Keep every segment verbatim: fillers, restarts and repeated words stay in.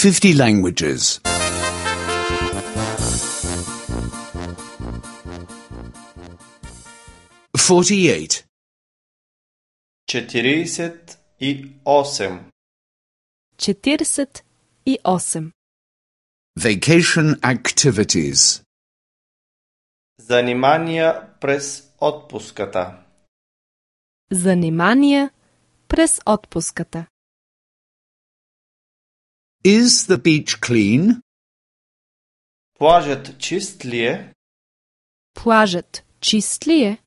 fifty languages. forty-eight. четиридесет и осем. четиридесет и осем. Vacation activities. Занимания през отпуската. Занимания през отпуската. Is the beach clean? Плажът чист ли е? Плажът чист ли е?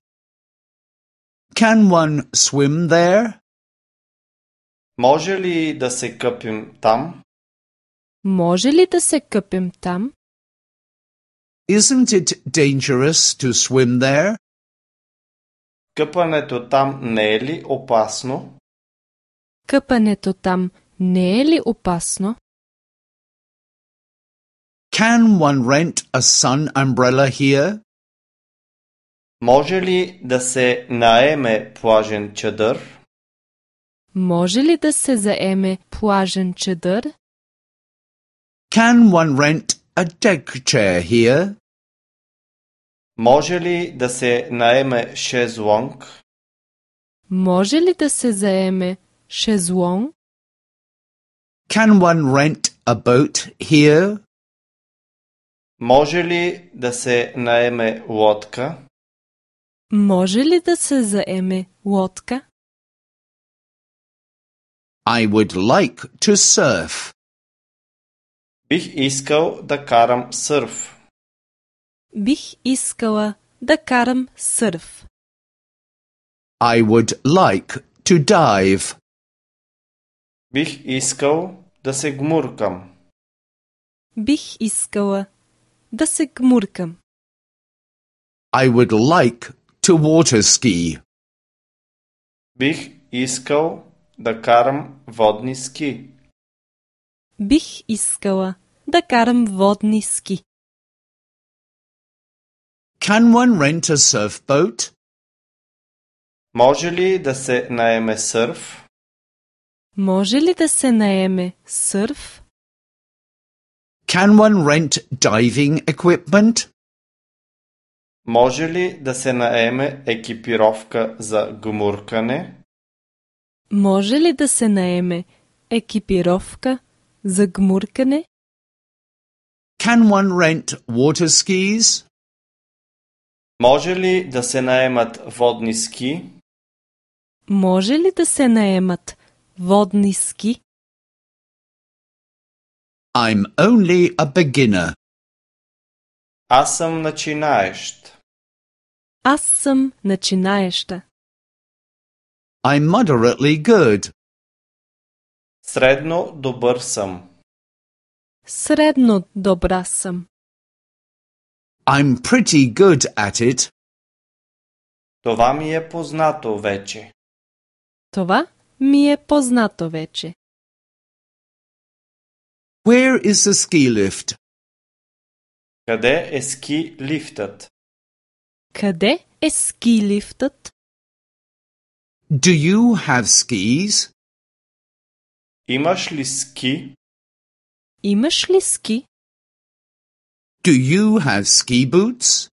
Can one swim there? Може ли да се къпим там? Може ли да се къпем там? Isn't it dangerous to swim there? Къпането там не е ли опасно? Къпането там не е ли опасно? Can one rent a sun umbrella here? Може ли да се наеме плажен чадър? Може ли да се заеме плажен чадър? Can one rent a deck chair here? Може ли да се наеме шезлонг? Може ли да се заеме шезлонг? Can one rent a boat here? Може ли да се наеме лодка? Може ли да се заеме лодка? I would like to surf. Бих искал да карам сърф. Бих искала да карам сърф. I would like to dive. Бих искал да се гмуркам. Бих искала да се гмуркам. I would like to water ski. Бих искал да карам водни ски. Бих искала да карам водни ски. Can one rent a surfboat? Може ли да се наеме сърф? Може ли да се наеме сърф? Can one rent diving equipment? Може ли да се наеме екипировка за гмуркане? Може ли да се наеме екипировка за гмуркане? Can one rent water skis? Може ли да се наемат водни ски? Може ли да се наемат водни ски? I'm only a beginner. Аз съм начинаещ. Аз съм начинаеща. I'm moderately good. Средно добър съм. Средно добра съм. I'm pretty good at it. Това ми е познато вече. Това ми е познато вече. Where is the ski lift? Къде е ски лифтът? Къде е ски лифтът? Do you have skis? Имаш ли ски? Имаш ли ски? Do you have ski boots?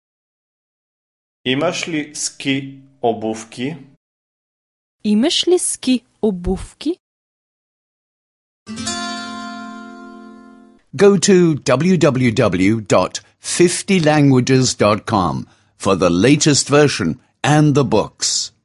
Имаш ли ски обувки? Имаш ли ски обувки? Go to w w w dot fifty languages dot com for the latest version and the books.